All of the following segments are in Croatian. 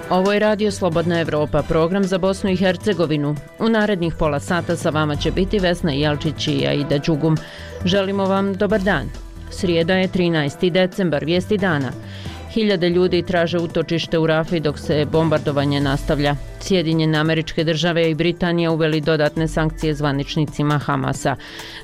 Ovo je Radio Slobodna Evropa, program za Bosnu i Hercegovinu. U narednih pola sata sa vama će biti Vesna Jelčić i Aida Đugum. Želimo vam dobar dan. Srijeda je 13. decembar, vijesti dana. Hiljade ljudi traže utočište u Rafi dok se bombardovanje nastavlja. Sjedinjene Američke Države i Britanija uveli dodatne sankcije zvaničnicima Hamasa.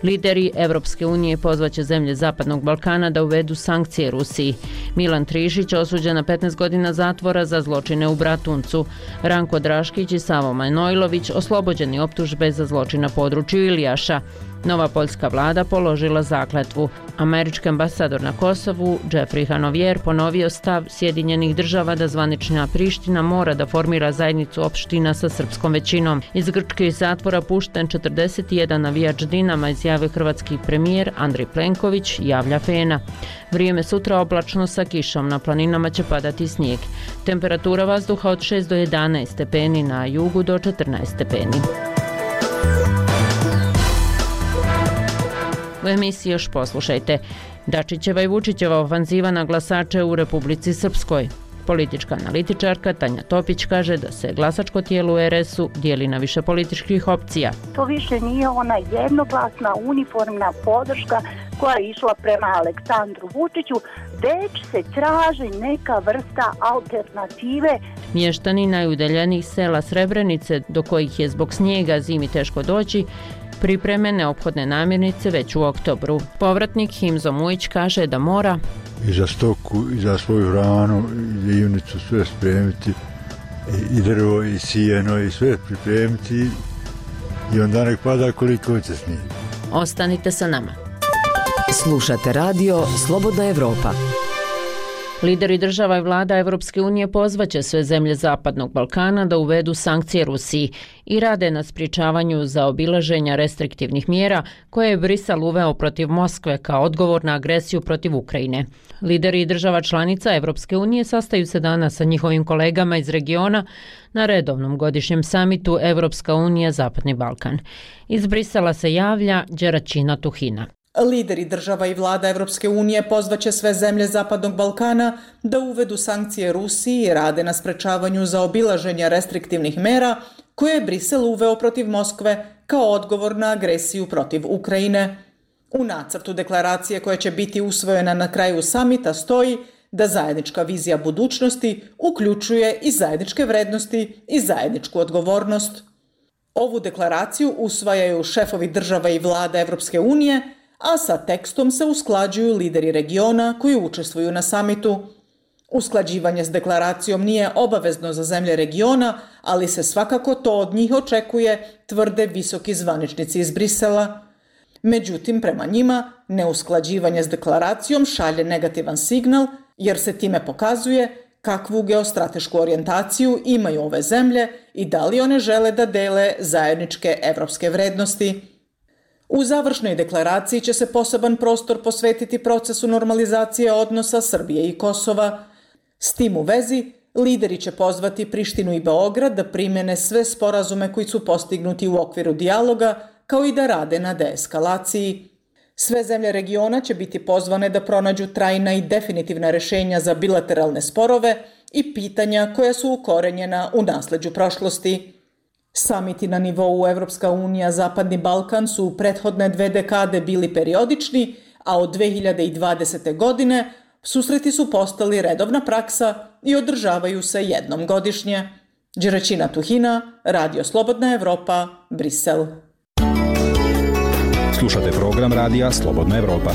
Lideri Evropske unije pozvaće zemlje Zapadnog Balkana da uvedu sankcije Rusiji. Milan Trišić osuđen na 15 godina zatvora za zločine u Bratuncu. Ranko Draškić i Savo Manojlović oslobođeni optužbe za zločin na području Ilijaša. Nova poljska vlada položila zakletvu. Američki ambasador na Kosovu, Jeffrey Hanovier, ponovio stav Sjedinjenih Država da zvanična Priština mora da formira zajednicu opština sa srpskom većinom. Iz grčkih zatvora pušten 41 navijač Dinama, izjavio hrvatski premijer Andrej Plenković, javlja Fena. Vrijeme sutra oblačno sa kišom, na planinama će padati snijeg. Temperatura vazduha od 6 do 11 stepeni, na jugu do 14 stepeni. U emisiji još poslušajte. Dačićeva i Vučićeva ofanziva na glasače u Republici Srpskoj. Politička analitičarka Tanja Topić kaže da se glasačko tijelo u RS-u dijeli na više političkih opcija. To više nije ona jednoglasna uniformna podrška koja je išla prema Aleksandru Vučiću, već se traži neka vrsta alternative. Mještani najudaljenijih sela Srebrenice, do kojih je zbog snijega zimi teško doći, pripreme neophodne namirnice već u oktobru. Povratnik Himzo Mujić kaže da mora i za stoku, i za svoju hranu, i junicu sve spremiti, i drvo, i sijeno, i sve pripremiti, i onda nek pada koliko će snijeg. Ostanite sa nama. Slušate radio Slobodna Evropa. Lideri država i vlada Evropske unije pozvaće sve zemlje Zapadnog Balkana da uvedu sankcije Rusiji i rade na sprječavanju zaobilaženja restriktivnih mjera koje je Brisel uveo protiv Moskve kao odgovor na agresiju protiv Ukrajine. Lideri država članica Evropske unije sastaju se danas sa njihovim kolegama iz regiona na redovnom godišnjem samitu Evropska unija Zapadni Balkan. Iz Brisela se javlja Đeraćina Tuhina. Lideri država i vlada Evropske unije pozvaće sve zemlje Zapadnog Balkana da uvedu sankcije Rusiji i rade na sprečavanju zaobilaženja restriktivnih mera koje je Brisel uveo protiv Moskve kao odgovor na agresiju protiv Ukrajine. U nacrtu deklaracije koja će biti usvojena na kraju samita stoji da zajednička vizija budućnosti uključuje i zajedničke vrednosti i zajedničku odgovornost. Ovu deklaraciju usvajaju šefovi država i vlada Evropske unije, a sa tekstom se usklađuju lideri regiona koji učestvuju na samitu. Usklađivanje s deklaracijom nije obavezno za zemlje regiona, ali se svakako to od njih očekuje, tvrde visoki zvaničnici iz Brisela. Međutim, prema njima, neusklađivanje s deklaracijom šalje negativan signal, jer se time pokazuje kakvu geostratešku orijentaciju imaju ove zemlje i da li one žele da dele zajedničke evropske vrednosti. U završnoj deklaraciji će se poseban prostor posvetiti procesu normalizacije odnosa Srbije i Kosova. S tim u vezi, lideri će pozvati Prištinu i Beograd da primjene sve sporazume koji su postignuti u okviru dijaloga, kao i da rade na deeskalaciji. Sve zemlje regiona će biti pozvane da pronađu trajna i definitivna rješenja za bilateralne sporove i pitanja koja su ukorenjena u nasleđu prošlosti. Samiti na nivou Evropska unija Zapadni Balkan su u prethodne 2 dekade bili periodični, a od 2020. godine susreti su postali redovna praksa i održavaju se jednom godišnje. Đeraćina Tuhina, Radio Slobodna Evropa, Brisel. Slušate program Radija Slobodna Evropa.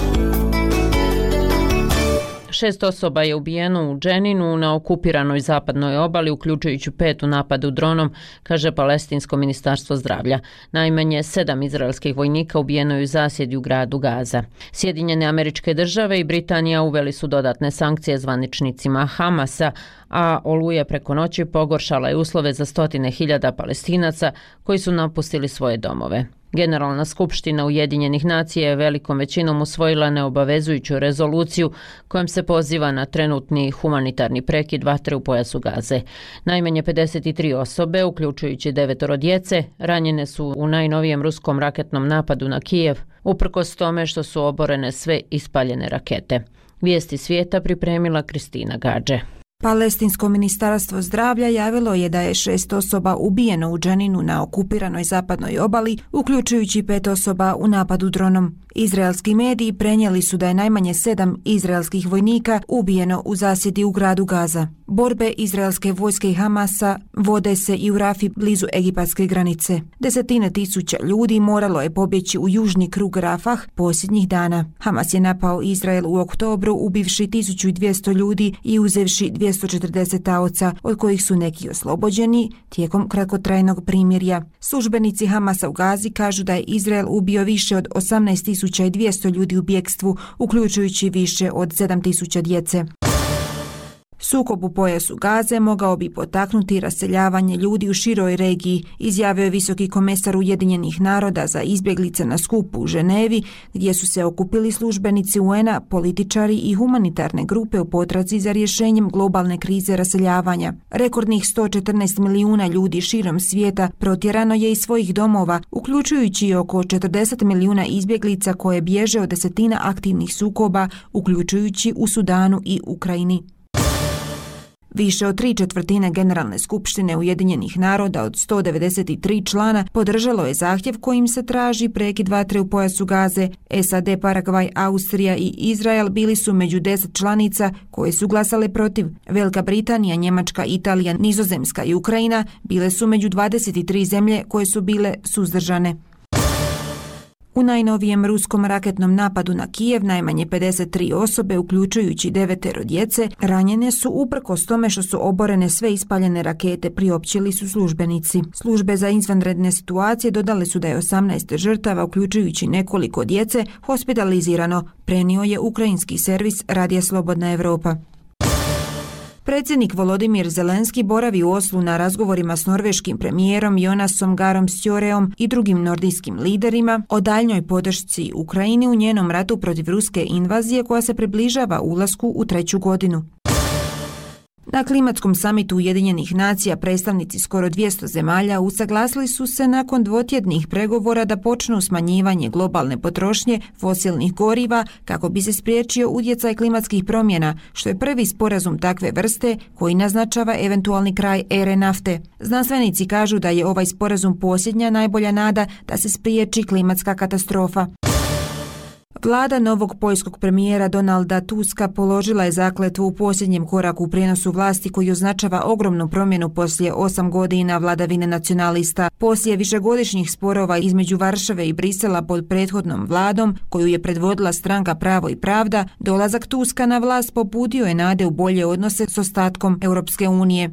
6 osoba je ubijeno u Dženinu na okupiranoj zapadnoj obali, uključujući 5 u napadu dronom, kaže Palestinsko ministarstvo zdravlja. Najmanje 7 izraelskih vojnika ubijeno je u zasjedi u gradu Gaza. Sjedinjene Američke Države i Britanija uveli su dodatne sankcije zvaničnicima Hamasa, a oluja preko noći pogoršala je uslove za stotine hiljada Palestinaca koji su napustili svoje domove. Generalna skupština Ujedinjenih nacija je velikom većinom usvojila neobavezujuću rezoluciju kojom se poziva na trenutni humanitarni prekid vatre u pojasu Gaze. Najmanje 53 osobe, uključujući 9 djece, ranjene su u najnovijem ruskom raketnom napadu na Kijev, uprkos tome što su oborene sve ispaljene rakete. Vijesti svijeta pripremila Kristina Gađe. Palestinsko ministarstvo zdravlja javilo je da je 6 osoba ubijeno u Dženinu na okupiranoj zapadnoj obali, uključujući 5 osoba u napadu dronom. Izraelski mediji prenijeli su da je najmanje 7 izraelskih vojnika ubijeno u zasjedi u gradu Gaza. Borbe izraelske vojske i Hamasa vode se i u Rafi blizu egipatske granice. Desetine tisuća ljudi moralo je pobjeći u južni krug Rafah posljednjih dana. Hamas je napao Izrael u oktobru ubivši 1200 ljudi i uzevši 240 taoca, od kojih su neki oslobođeni tijekom kratkotrajnog primirja. Službenici Hamasa u Gazi kažu da je Izrael ubio više od 18.200 ljudi u bjekstvu, uključujući više od 7.000 djece. Sukob u pojasu Gaze mogao bi potaknuti raseljavanje ljudi u široj regiji, izjavio je visoki komesar Ujedinjenih naroda za izbjeglice na skupu u Ženevi, gdje su se okupili službenici UN-a, političari i humanitarne grupe u potrazi za rješenjem globalne krize raseljavanja. Rekordnih 114 milijuna ljudi širom svijeta protjerano je iz svojih domova, uključujući oko 40 milijuna izbjeglica koje bježe od desetina aktivnih sukoba, uključujući u Sudanu i Ukrajini. Više od 3/4 Generalne skupštine Ujedinjenih naroda od 193 člana podržalo je zahtjev kojim se traži prekid vatre u pojasu Gaze. SAD, Paragvaj, Austrija i Izrael bili su među 10 članica koje su glasale protiv. Velika Britanija, Njemačka, Italija, Nizozemska i Ukrajina bile su među 23 zemlje koje su bile suzdržane. U najnovijem ruskom raketnom napadu na Kijev najmanje 53 osobe, uključujući 9 djece, ranjene su uprkos tome što su oborene sve ispaljene rakete, priopćili su službenici. Službe za izvanredne situacije dodale su da je 18 žrtava, uključujući nekoliko djece, hospitalizirano, prenio je ukrajinski servis Radija Slobodna Evropa. Predsjednik Volodimir Zelenski boravi u Oslu na razgovorima s norveškim premijerom Jonasom Garom Stjoreom i drugim nordijskim liderima o daljnjoj podršci Ukrajini u njenom ratu protiv ruske invazije koja se približava ulasku u 3. godinu. Na klimatskom samitu Ujedinjenih nacija predstavnici skoro 200 zemalja usaglasili su se nakon dvotjednih pregovora da počnu smanjivanje globalne potrošnje fosilnih goriva kako bi se spriječio utjecaj klimatskih promjena, što je prvi sporazum takve vrste koji naznačava eventualni kraj ere nafte. Znanstvenici kažu da je ovaj sporazum posljednja najbolja nada da se spriječi klimatska katastrofa. Vlada novog poljskog premijera Donalda Tuska položila je zakletvu u posljednjem koraku u prijenosu vlasti koji označava ogromnu promjenu poslije 8 godina vladavine nacionalista. Poslije višegodišnjih sporova između Varšave i Brisela pod prethodnom vladom, koju je predvodila stranka Pravo i pravda, dolazak Tuska na vlast pobudio je nade u bolje odnose s ostatkom Europske unije.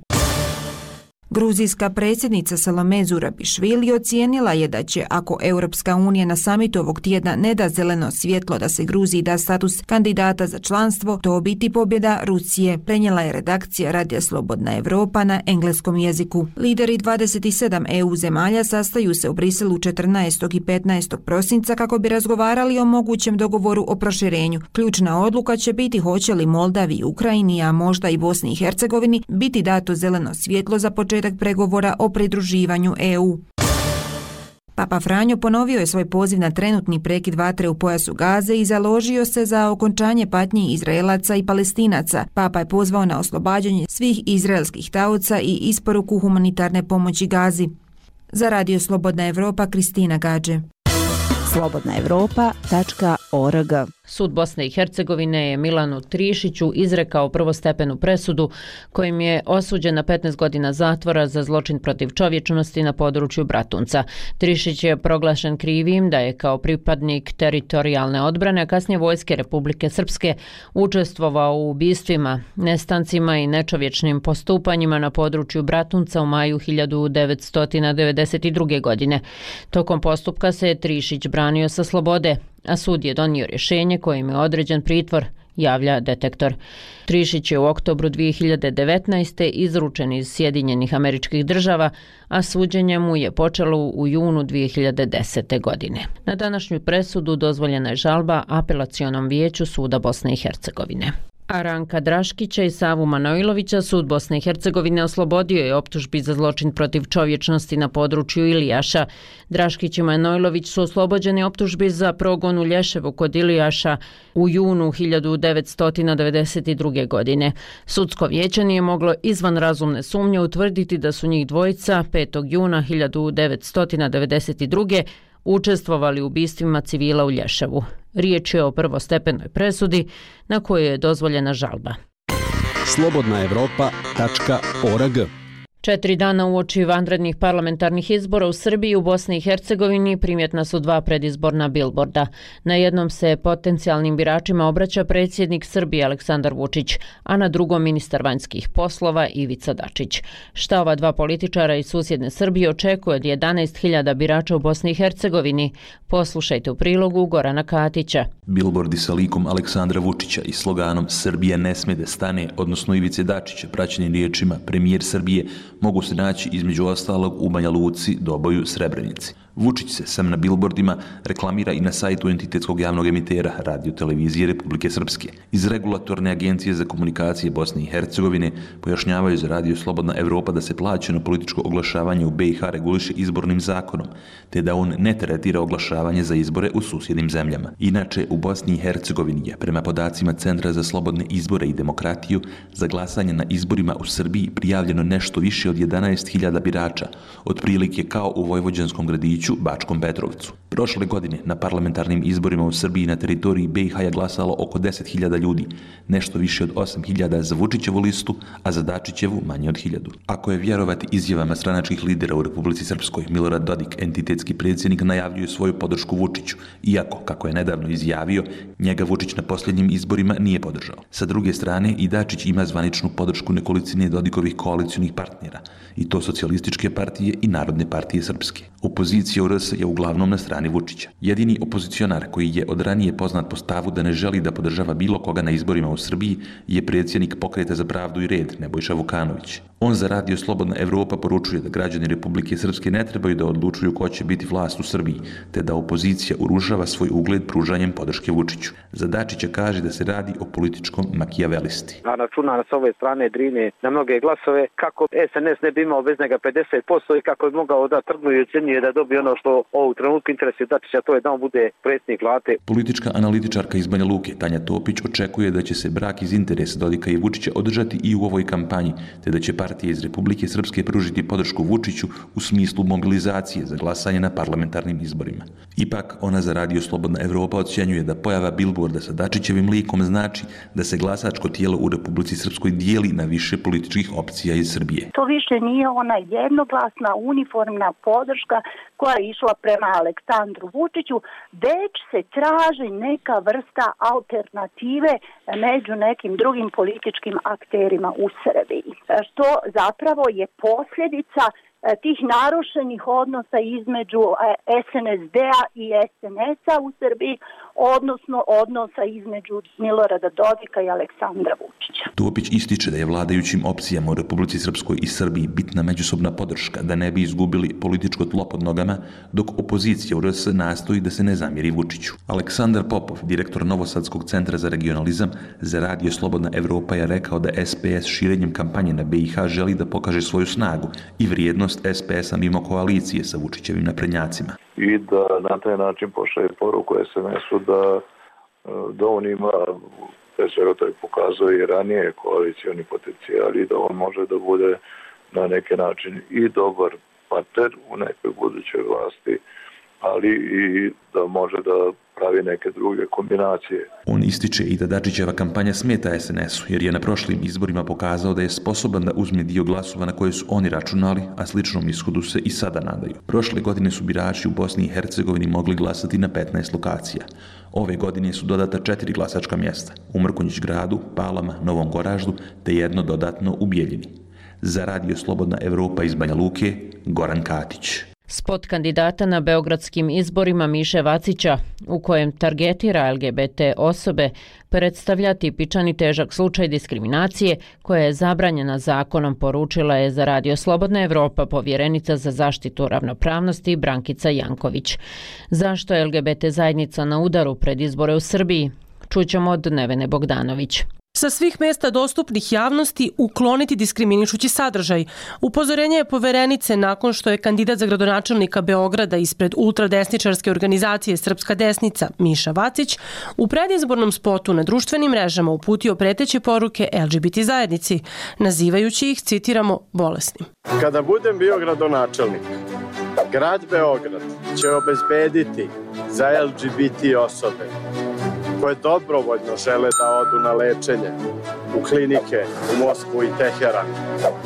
Gruzijska predsjednica Salome Zurabišvili ocijenila je da će, ako Europska unija na samitu ovog tjedna ne da zeleno svjetlo da se Gruziji da status kandidata za članstvo, to biti pobjeda Rusije, prenijela je redakcija Radija Slobodna Evropa na engleskom jeziku. Lideri 27 EU zemalja sastaju se u Briselu 14. i 15. prosinca kako bi razgovarali o mogućem dogovoru o proširenju. Ključna odluka će biti hoće li Moldavi, Ukrajini, a možda i Bosni i Hercegovini biti dato zeleno svjetlo za početak pregovora o pridruživanju EU. Papa Franjo ponovio je svoj poziv na trenutni prekid vatre u pojasu Gaze i založio se za okončanje patnji Izraelaca i Palestinaca. Papa je pozvao na oslobađanje svih izraelskih taoca i isporuku humanitarne pomoći Gazi. Za Radio Slobodna Evropa, Kristina Gađe. slobodnaevropa.org. Sud Bosne i Hercegovine je Milanu Trišiću izrekao prvostepenu presudu kojim je osuđen na 15 godina zatvora za zločin protiv čovječnosti na području Bratunca. Trišić je proglašen krivim da je kao pripadnik teritorijalne odbrane, a kasnije Vojske Republike Srpske, učestvovao u ubistvima, nestancima i nečovječnim postupanjima na području Bratunca u maju 1992. godine. Tokom postupka se je Trišić branio sa slobode, a sud je donio rješenje kojim je određen pritvor, javlja Detektor. Trišić je u oktobru 2019. izručen iz Sjedinjenih Američkih Država, a suđenje mu je počelo u junu 2010. godine. Na današnju presudu dozvoljena je žalba Apelacionom vijeću Suda Bosne i Hercegovine. A Ranka Draškića i Savu Manojlovića sud Bosne i Hercegovine oslobodio je optužbi za zločin protiv čovječnosti na području Ilijaša. Draškić i Manojlović su oslobođeni optužbi za progon u Lješevu kod Ilijaša u junu 1992. godine. Sudsko vijeće nije moglo izvan razumne sumnje utvrditi da su njih dvojica 5. juna 1992. učestvovali u ubistvima civila u Lješevu. Riječ je o prvostepenoj presudi na kojoj je dozvoljena žalba. slobodnaevropa.org 4 dana uoči vanrednih parlamentarnih izbora u Srbiji i u Bosni i Hercegovini primjetna su 2 predizborna bilborda. Na jednom se potencijalnim biračima obraća predsjednik Srbije Aleksandar Vučić, a na drugom ministar vanjskih poslova Ivica Dačić. Šta ova 2 političara iz susjedne Srbije očekuje od 11.000 birača u Bosni i Hercegovini? Poslušajte u prilogu Gorana Katića. Bilbordi sa likom Aleksandra Vučića i sloganom Srbija ne sme da stane, odnosno Ivice Dačića, praćenim riječima premijer Srbije, mogu se naći između ostalog u Banja Luci, Doboju, Srebrenici. Vučić se sam na bilbordima reklamira i na sajtu entitetskog javnog emitera Radio Televizije Republike Srpske. Iz Regulatorne agencije za komunikacije Bosne i Hercegovine pojašnjavaju za Radio Slobodna Evropa da se plaćeno političko oglašavanje u BiH reguliše izbornim zakonom, te da on ne tretira oglašavanje za izbore u susjednim zemljama. Inače, u Bosni i Hercegovini je, prema podacima Centra za slobodne izbore i demokratiju, za glasanje na izborima u Srbiji prijavljeno nešto više od 11.000 birača, otprilike kao u vojvođanskom gradiću Bačkom Petrovcu. Prošle godine na parlamentarnim izborima u Srbiji na teritoriji BiH je glasalo oko 10.000 ljudi, nešto više od 8.000 za Vučićevu listu, a za Dačićevu manje od 1.000. Ako je vjerovati izjavama stranačkih lidera u Republici Srpskoj, Milorad Dodik, entitetski predsjednik, najavljuje svoju podršku Vučiću, iako, kako je nedavno izjavio, njega Vučić na posljednjim izborima nije podržao. Sa druge strane, i Dačić ima zvaničnu podršku nekolicine Dodikovih koalicionih partnera, i to Socijalističke partije i Narodne partije Srpske. Opozicija u RS je uglavnom na strani Vučića. Jedini opozicionar koji je od ranije poznat po stavu da ne želi da podržava bilo koga na izborima u Srbiji je predsjednik Pokreta za pravdu i red, Nebojša Vukanović. On za Radio Slobodna Evropa poručuje da građani Republike Srpske ne trebaju da odlučuju ko će biti vlast u Srbiji, te da opozicija urušava svoj ugled pružanjem podrške Vučiću. Za Dačića kaže da se radi o političkom makijavelisti. A računa s ove strane Drine na mnoge glasove kako SNS ne bi imao bez njega 50% i kako je mogao da trgnu i ocjenjuje da dobije ono što ovog trenutku interesuje Dačića, to je da on bude predsjednik vlade. Politička analitičarka iz Banja Luke, Tanja Topić, očekuje da će se brak iz interesa Dodika i Vučića održati i u ovoj kampanji, te da će partije iz Republike Srpske pružiti podršku Vučiću u smislu mobilizacije za glasanje na parlamentarnim izborima. Ipak, ona za Radio Slobodna Evropa ocjenjuje da pojava bilborda sa Dačićevim likom znači da se glasačko tijelo u Republici Srpskoj dijeli na više političkih opcija iz Srbije. To više nije ona jednoglasna uniformna podrška koja je išla prema Aleksandru Vučiću, već se traži neka vrsta alternative među nekim drugim političkim akterima u Srbiji. Što zapravo je posljedica tih narušenih odnosa između SNSD-a i SNS-a u Srbiji, odnosno odnosa između Milorada Dodika i Aleksandra Vučića. Topić ističe da je vladajućim opcijama u Republici Srpskoj i Srbiji bitna međusobna podrška da ne bi izgubili političko tlo pod nogama, dok opozicija u RS nastoji da se ne zamjeri Vučiću. Aleksandar Popov, direktor Novosadskog centra za regionalizam, za Radio Slobodna Evropa je rekao da SPS širenjem kampanje na BiH želi da pokaže svoju snagu i vrijednost SPS-a mimo koalicije sa Vučićevim naprednjacima. I da na taj način pošalje poruku SNS-u da on ima, pre svega to je pokazao i ranije, koalicioni potencijal i da on može da bude na neki način i dobar partner u nekoj budućoj vlasti, ali i da može da pravi neke druge kombinacije. On ističe i da Dačićeva kampanja smeta SNS-u, jer je na prošlim izborima pokazao da je sposoban da uzme dio glasova na koje su oni računali, a sličnom ishodu se i sada nadaju. Prošle godine su birači u Bosni i Hercegovini mogli glasati na 15 lokacija. Ove godine su dodata 4 glasačka mjesta, u Mrkonjić gradu, Palama, Novom Goraždu, te jedno dodatno u Bijeljini. Za Radio Slobodna Evropa iz Banja Luke, Goran Katić. Spot kandidata na beogradskim izborima Miše Vacića, u kojem targetira LGBT osobe, predstavlja tipičan i težak slučaj diskriminacije koja je zabranjena zakonom, poručila je za Radio Slobodna Evropa povjerenica za zaštitu ravnopravnosti Brankica Janković. Zašto je LGBT zajednica na udaru pred izbore u Srbiji? Čućemo od Nevene Bogdanović. Sa svih mesta dostupnih javnosti ukloniti diskriminišući sadržaj. Upozorenje je poverenice nakon što je kandidat za gradonačelnika Beograda ispred ultradesničarske organizacije Srpska desnica Miša Vacić u predizbornom spotu na društvenim mrežama uputio preteće poruke LGBT zajednici, nazivajući ih, citiramo, bolesnim. Kada budem bio gradonačelnik, grad Beograd će obezbediti za LGBT osobe koje dobrovoljno žele da odu na lečenje u klinike u Moskvu i Teheran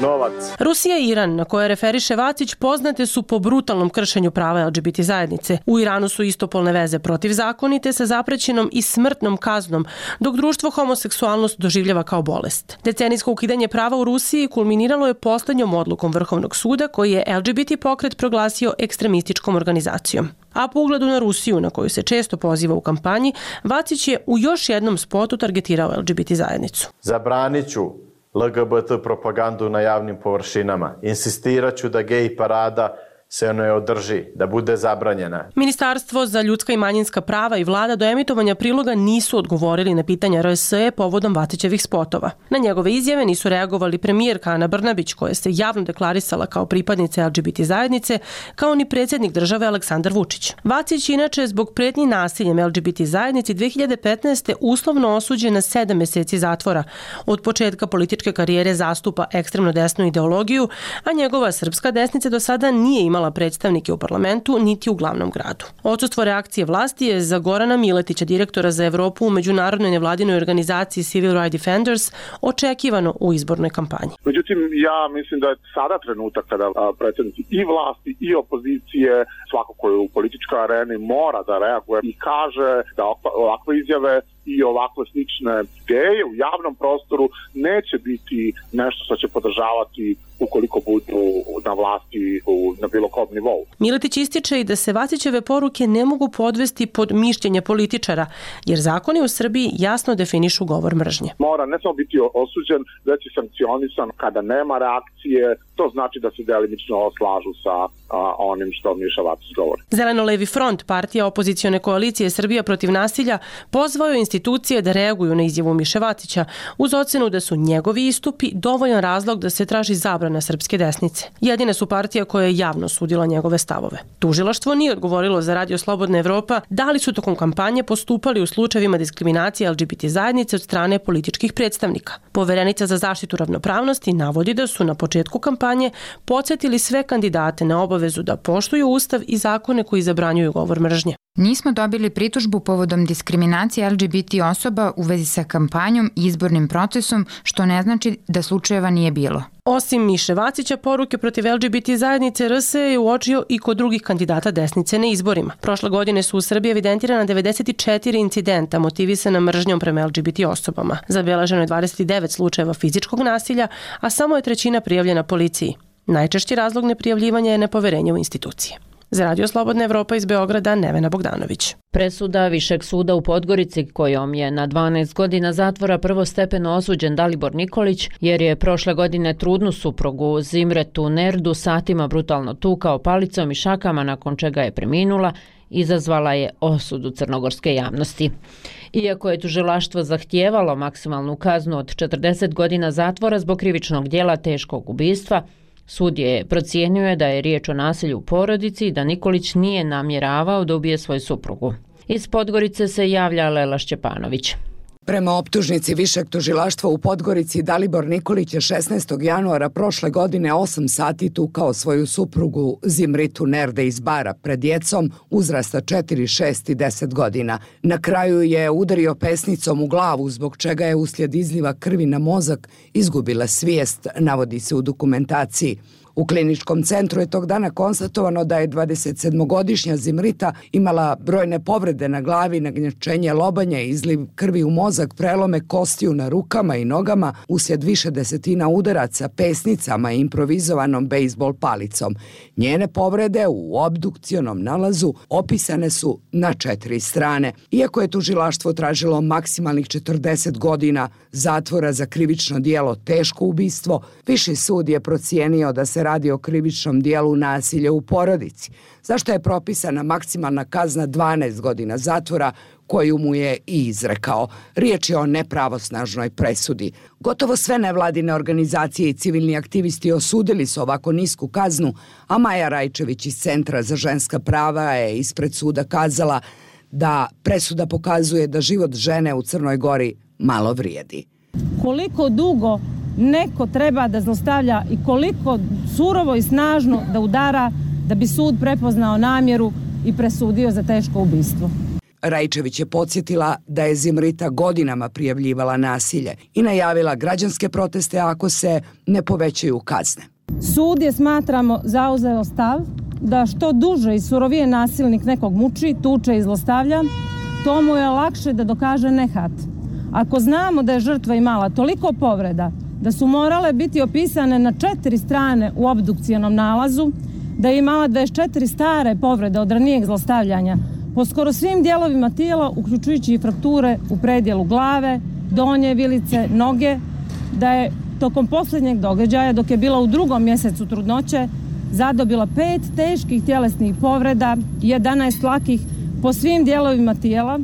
novac. Rusija i Iran, na koje referiše Vacić, poznate su po brutalnom kršenju prava LGBT zajednice. U Iranu su istopolne veze protivzakonite sa zaprećenom i smrtnom kaznom, dok društvo homoseksualnost doživljava kao bolest. Decenijsko ukidanje prava u Rusiji kulminiralo je poslednjom odlukom Vrhovnog suda koji je LGBT pokret proglasio ekstremističkom organizacijom. A po ugledu na Rusiju, na koju se često poziva u kampanji, Vacić je u još jednom spotu targetirao LGBT zajednicu. Zabranit ću LGBT propagandu na javnim površinama. Insistirat ću da gej parada se ne održi, da bude zabranjena. Ministarstvo za ljudska i manjinska prava i vlada do emitovanja priloga nisu odgovorili na pitanja RSE povodom Vacićevih spotova. Na njegove izjave nisu reagovali premijerka Ana Brnabić, koja se javno deklarisala kao pripadnica LGBT zajednice, kao ni predsjednik države Aleksandar Vučić. Vacić inače zbog pretnji nasiljem LGBT zajednici 2015. uslovno osuđen na 7 meseci zatvora. Od početka političke karijere zastupa ekstremno desnu ideologiju, a njegova Srpska desnica do sada nije imala predstavnike u parlamentu niti u glavnom gradu. Odsustvo reakcije vlasti je za Gorana Miletića, direktora za Evropu u međunarodnoj nevladinoj organizaciji Civil Rights Defenders, očekivano u izbornoj kampanji. Međutim, ja mislim da je sada trenutak kada predstavnici i vlasti i opozicije, svako ko je u političkoj areni, mora da reaguje i kaže da ovakve izjave i ovakve slične ideje u javnom prostoru neće biti nešto što će podržavati ukoliko budu na vlasti na bilo kom nivou. Miletić ističe i da se Vacićeve poruke ne mogu podvesti pod mišljenje političara, jer zakoni u Srbiji jasno definišu govor mržnje. Mora ne samo biti osuđen, već i sankcionisan kada nema reakcije. To znači da se delimično slažu sa onim što Miša Vacić govori. Zeleno-levi front, partija opozicione koalicije Srbija protiv nasilja, pozvao je institucije da reaguju na izjavu Miše Vacića uz ocenu da su njegovi istupi dovoljan razlog da se traži zabrana Srpske desnice. Jedine su partija koja je javno sudila njegove stavove. Tužilaštvo nije odgovorilo za Radio Slobodna Evropa da li su tokom kampanje postupali u slučajevima diskriminacije LGBT zajednice od strane političkih predstavnika. Poverenica za zaštitu ravnopravnosti navodi da su na početku kampanje podsjetili sve kandidate na obavezu da poštuju Ustav i zakone koji zabranjuju govor mržnje. Nismo dobili pritužbu povodom diskriminacije LGBT osoba u vezi sa kampanjom i izbornim procesom, što ne znači da slučajeva nije bilo. Osim Miše Vacića, poruke protiv LGBT zajednice RS je uočio i kod drugih kandidata desnice na izborima. Prošle godine su u Srbiji evidentirana 94 incidenta motivisana mržnjom prema LGBT osobama. Zabeleženo je 29 slučajeva fizičkog nasilja, a samo je 1/3 prijavljena policiji. Najčešći razlog neprijavljivanja je nepoverenje u institucije. Za Radio Slobodna Evropa iz Beograda, Nevena Bogdanović. Presuda Višeg suda u Podgorici, kojom je na 12 godina zatvora prvostepeno osuđen Dalibor Nikolić, jer je prošle godine trudnu suprugu Zimretu Nerdu satima brutalno tukao palicom i šakama, nakon čega je preminula, izazvala je osudu crnogorske javnosti. Iako je tužilaštvo zahtijevalo maksimalnu kaznu od 40 godina zatvora zbog krivičnog djela teškog ubistva, sud je procijenio da je riječ o nasilju u porodici i da Nikolić nije namjeravao da ubije svoju suprugu. Iz Podgorice se javlja Lela Šćepanović. Prema optužnici Višeg tužilaštva u Podgorici, Dalibor Nikolić je 16. januara prošle godine 8 sati tukao svoju suprugu Zimritu Nerde iz Bara pred djecom uzrasta 4, 6 i 10 godina. Na kraju je udario pesnicom u glavu, zbog čega je uslijed izliva krvi na mozak izgubila svijest, navodi se u dokumentaciji. U kliničkom centru je tog dana konstatovano da je 27-godišnja Zimrita imala brojne povrede na glavi, nagnjačenje lobanja, izliv krvi u mozak, prelome kostiju na rukama i nogama uslijed više desetina udaraca pesnicama i improvizovanom bejsbol palicom. Njene povrede u obdukcionom nalazu opisane su na 4 strane. Iako je tužilaštvo tražilo maksimalnih 40 godina zatvora za krivično djelo teško ubistvo, Viši sud je procijenio da se se radi o krivičnom dijelu nasilja u porodici, zašto je propisana maksimalna kazna 12 godina zatvora koju mu je i izrekao. Riječ je o nepravosnažnoj presudi. Gotovo sve nevladine organizacije i civilni aktivisti osudili su ovako nisku kaznu, a Maja Rajčević iz Centra za ženska prava je ispred suda kazala da presuda pokazuje da život žene u Crnoj Gori malo vrijedi. Koliko dugo neko treba da zlostavlja i koliko surovo i snažno da udara da bi sud prepoznao namjeru i presudio za teško ubistvo. Rajčević je podsjetila da je Zimrita godinama prijavljivala nasilje i najavila građanske proteste ako se ne povećaju kazne. Sud je, smatramo, zauzeo stav da što duže i surovije nasilnik nekog muči, tuče i zlostavlja, to mu je lakše da dokaže nehat. Ako znamo da je žrtva imala toliko povreda da su morale biti opisane na 4 strane u obdukcijenom nalazu, da je imala 24 stare povrede od ranijeg zlostavljanja po skoro svim dijelovima tijela, uključujući i frakture u predjelu glave, donje vilice, noge, da je tokom posljednjeg događaja, dok je bila u 2. mjesecu trudnoće, zadobila 5 teških tjelesnih povreda, 11 lakih po svim dijelovima tijela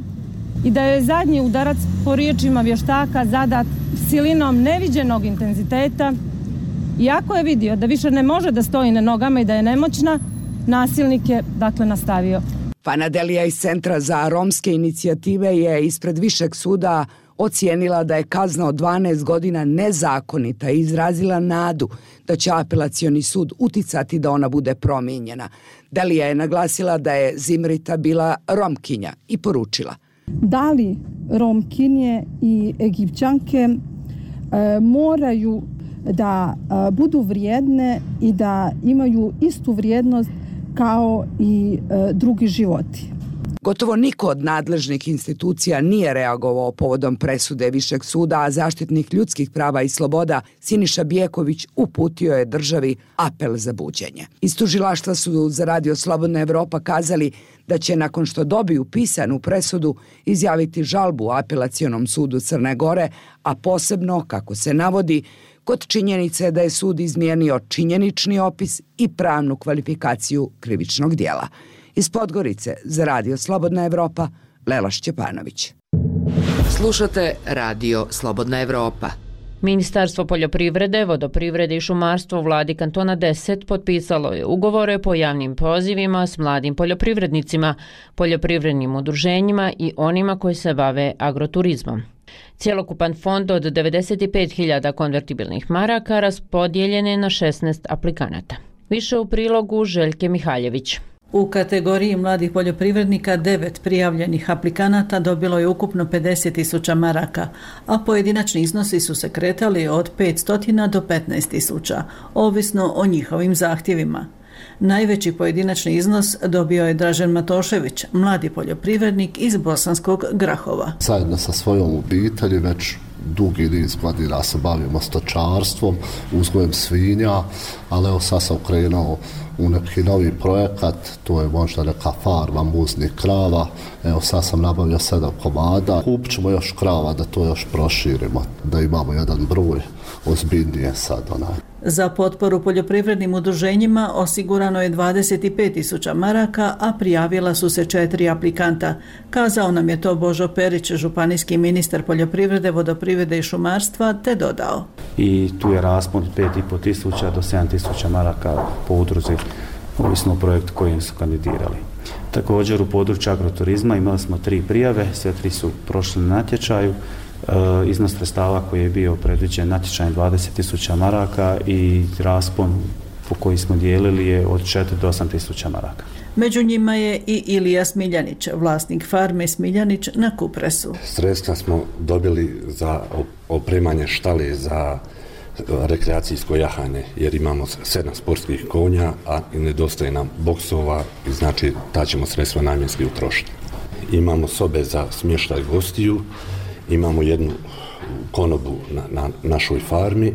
i da je zadnji udarac, po riječima vještaka, zadat silinom neviđenog intenziteta. Iako je vidio da više ne može da stoji na nogama i da je nemoćna, nasilnik je dakle nastavio. Fanadelija iz Centra za romske inicijative je ispred Višeg suda ocijenila da je kazna od 12 godina nezakonita i izrazila nadu da će apelacioni sud uticati da ona bude promijenjena. Delija je naglasila da je Zimrita bila Romkinja i poručila: da li Romkinje i Egipćanke moraju da budu vrijedne i da imaju istu vrijednost kao i drugi životi. Gotovo niko od nadležnih institucija nije reagovao povodom presude Višeg suda, a zaštitnik ljudskih prava i sloboda Siniša Bijeković uputio je državi apel za buđenje. Iz tužilaštva su za Radio Slobodna Evropa kazali da će nakon što dobiju pisanu presudu izjaviti žalbu apelacionom sudu Crne Gore, a posebno, kako se navodi, kod činjenice da je sud izmijenio činjenični opis i pravnu kvalifikaciju krivičnog dijela. Iz Podgorice za Radio Slobodna Evropa, Lela Šćepanović. Slušate Radio Slobodna Evropa. Ministarstvo poljoprivrede, vodoprivrede i šumarstva u vladi kantona 10 potpisalo je ugovore po javnim pozivima s mladim poljoprivrednicima, poljoprivrednim udruženjima i onima koji se bave agroturizmom. Cjelokupan fond od 95.000 konvertibilnih maraka raspodijeljen je na 16 aplikanata. Više u prilogu Željke Mihaljević. U kategoriji mladih poljoprivrednika 9 prijavljenih aplikanata dobilo je ukupno 50.000 maraka, a pojedinačni iznosi su se kretali od 500 do 15.000, ovisno o njihovim zahtjevima. Najveći pojedinačni iznos dobio je Dražen Matošević, mladi poljoprivrednik iz Bosanskog Grahova. Zajedno sa svojom obitelji već dugi niz godina se bavimo stočarstvom, uzgojem svinja, ali evo sad sam krenuo u neki novi projekat, to je možda neka farma muznih krava, evo sad sam nabavio 7 komada, kupit ćemo još krava da to još proširimo, da imamo jedan broj ozbiljnije sad onaj. Za potporu poljoprivrednim udruženjima osigurano je 25.000 maraka, a prijavila su se 4 aplikanta. Kazao nam je to Božo Perić, županijski ministar poljoprivrede, vodoprivrede i šumarstva, te dodao. I tu je raspon 5.500 do 7.000 maraka po udruzi, ovisno o projektu kojim su kandidirali. Također u području agroturizma imali smo 3 prijave, sve 3 su prošli na natječaju. Iznos sredstava koji je bio predviđen natječajem 20.000 maraka i raspon po koji smo dijelili je od 4 do 8.000 maraka. Među njima je i Ilija Smiljanić, vlasnik farme Smiljanić na Kupresu. Sredstva smo dobili za opremanje štale za rekreacijsko jahanje, jer imamo 7 sportskih konja, a nedostaje nam boksova, i znači ta ćemo sredstva namjenski utrošiti. Imamo sobe za smještaj gostiju, imamo jednu konobu na našoj farmi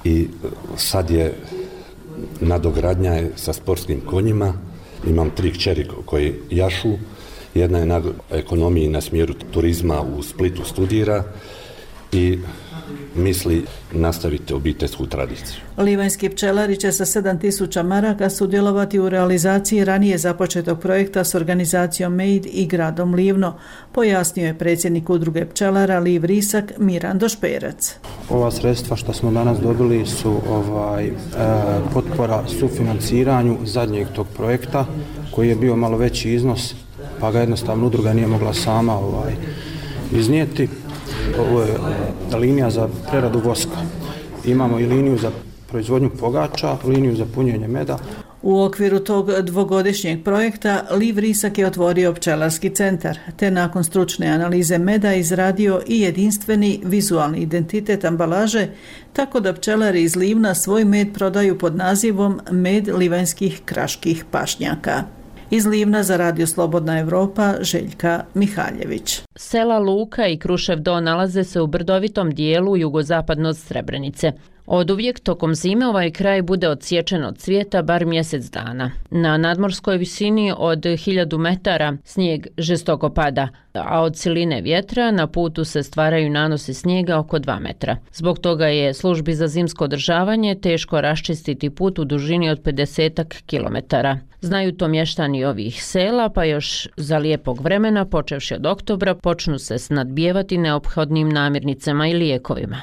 i sad je nadogradnja je sa sportskim konjima. Imam 3 kćeri koji jašu, jedna je na ekonomiji na smjeru turizma u Splitu studira i misli nastaviti obiteljsku tradiciju. Livanjski pčelari će sa 7.000 maraka sudjelovati u realizaciji ranije započetog projekta s organizacijom Made i gradom Livno, pojasnio je predsjednik udruge pčelara Liv Risak Mirando Šperac. Ova sredstva što smo danas dobili su potpora sufinanciranju zadnjeg tog projekta koji je bio malo veći iznos, pa ga jednostavno udruga nije mogla sama iznijeti. Ovo je linija za preradu voska. Imamo i liniju za proizvodnju pogača, liniju za punjenje meda. U okviru tog dvogodišnjeg projekta Liv Risak je otvorio pčelarski centar, te nakon stručne analize meda izradio i jedinstveni vizualni identitet ambalaže, tako da pčelari iz Livna svoj med prodaju pod nazivom Med livanjskih kraških pašnjaka. Iz Livna za Radio Slobodna Evropa, Željka Mihaljević. Sela Luka i Krušev Do nalaze se u brdovitom dijelu jugozapadno od Srebrenice. Oduvijek tokom zime ovaj kraj bude odsječen od svijeta bar mjesec dana. Na nadmorskoj visini od 1000 metara snijeg žestoko pada, a od siline vjetra na putu se stvaraju nanosi snijega oko 2 metra. Zbog toga je službi za zimsko održavanje teško raščistiti put u dužini od 50 kilometara. Znaju to mještani ovih sela, pa još za lijepog vremena, počevši od oktobra, počnu se snadbijevati neophodnim namirnicama i lijekovima.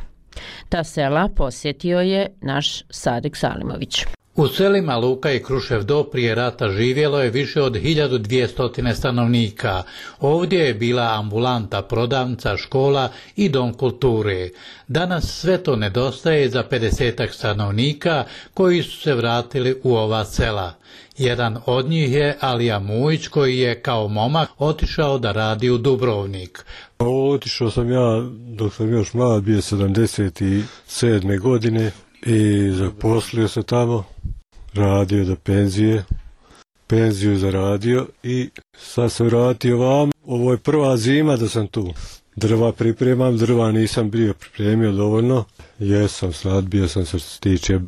Ta sela posjetio je naš Sadik Salimović. U selima Luka i Krušev Do prije rata živjelo je više od 1200 stanovnika. Ovdje je bila ambulanta, prodavnica, škola i dom kulture. Danas sve to nedostaje za 50 stanovnika koji su se vratili u ova sela. Jedan od njih je Alija Mujić koji je kao momak otišao da radi u Dubrovnik. Otišao sam ja dok sam još mlad, bio 77. godine i zaposlio se tamo, radio do penziju zaradio i sad sam vratio vam. Ovo je prva zima da sam tu. Drva pripremam, drva nisam bio pripremio dovoljno. Jesam, snadbio sam se što se tiče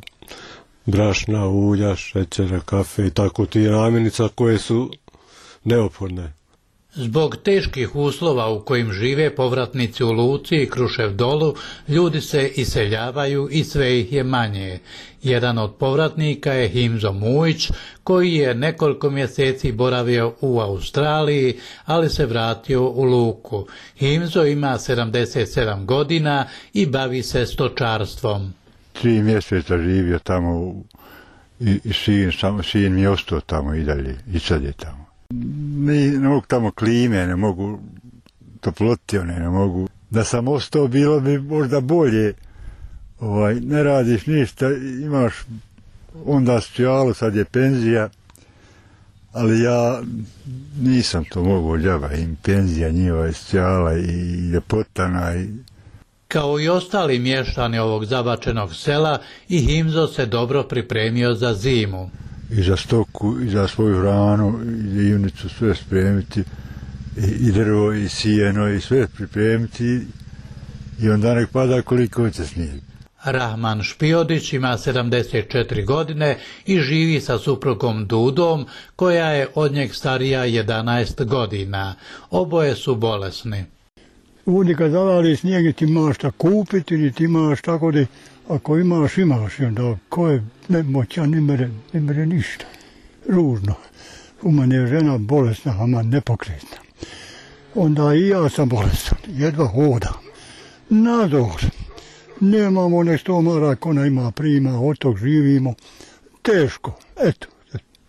brašna, ulja, šećera, kafe i tako ti namirnica koje su neophodne. Zbog teških uslova u kojim žive povratnici u Luci i Krušev Dolu, ljudi se iseljavaju i sve ih je manje. Jedan od povratnika je Himzo Mujić, koji je nekoliko mjeseci boravio u Australiji, ali se vratio u Luku. Himzo ima 77 godina i bavi se stočarstvom. 3 mjeseca živio tamo i sin mi je ostao tamo i dalje, i sad je tamo. Ne mogu tamo klime, ne mogu toploti, ne mogu. Da sam ostao bilo bi možda bolje, ne radiš ništa, imaš onda socijalu, sad je penzija, ali ja nisam to mogao džaba, im penzija njihova je socijala i ljepotana i... Kao i ostali mještani ovog zabačenog sela, i Himzo se dobro pripremio za zimu. I za stoku, i za svoju hranu, i ivnicu sve spremiti, i drvo, i sijeno, i sve pripremiti, i onda nek pada koliko će snijeg. Rahman Špijodić ima 74 godine i živi sa suprugom Dudom, koja je od njeg starija 11 godina. Oboje su bolesni. Ovdje kad zavali snijeg, ti imaš šta kupiti, ni ti imaš tako da ako imaš, imaš. I onda ko je nemoćan, ne mere ništa. Ružno. U mene je žena bolesna, ama nepokretna. Onda i ja sam bolestan, jedva hodam. Nadzor. Nemamo nešto maraka, ona ima prima, od tog živimo. Teško, eto,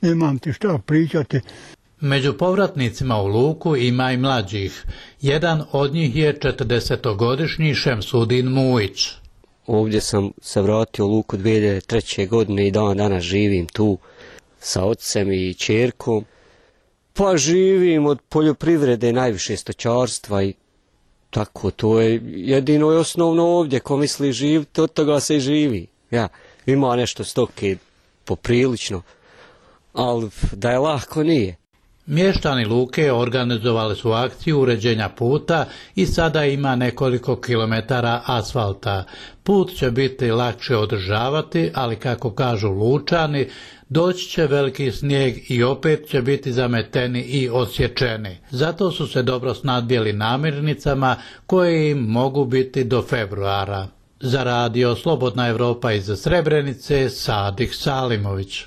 nemam ti šta pričati. Među povratnicima u Luku ima i mlađih. Jedan od njih je 40-godišnji Šemsudin Mujić. Ovdje sam se vratio u Luku 2003. godine i danas živim tu sa ocem i ćerkom. Pa živim od poljoprivrede, najviše stočarstva i tako, to je jedino i osnovno ovdje, ko misli živiti, od toga se i živi. Ja, ima nešto stoke poprilično, ali da je lako nije. Mještani Luke organizovali su akciju uređenja puta i sada ima nekoliko kilometara asfalta. Put će biti lakše održavati, ali kako kažu Lučani, Doći će veliki snijeg i opet će biti zameteni i osječeni. Zato su se dobro snadbjeli namirnicama koje im mogu biti do februara. Za radio Slobodna Evropa iz Srebrenice, Sadih Salimović.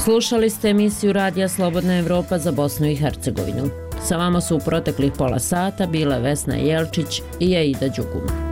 Slušali ste emisiju Radija Slobodna Evropa za Bosnu i Hercegovinu. Sa vama su u proteklih pola sata bile Vesna Jelčić i Aida Đugum.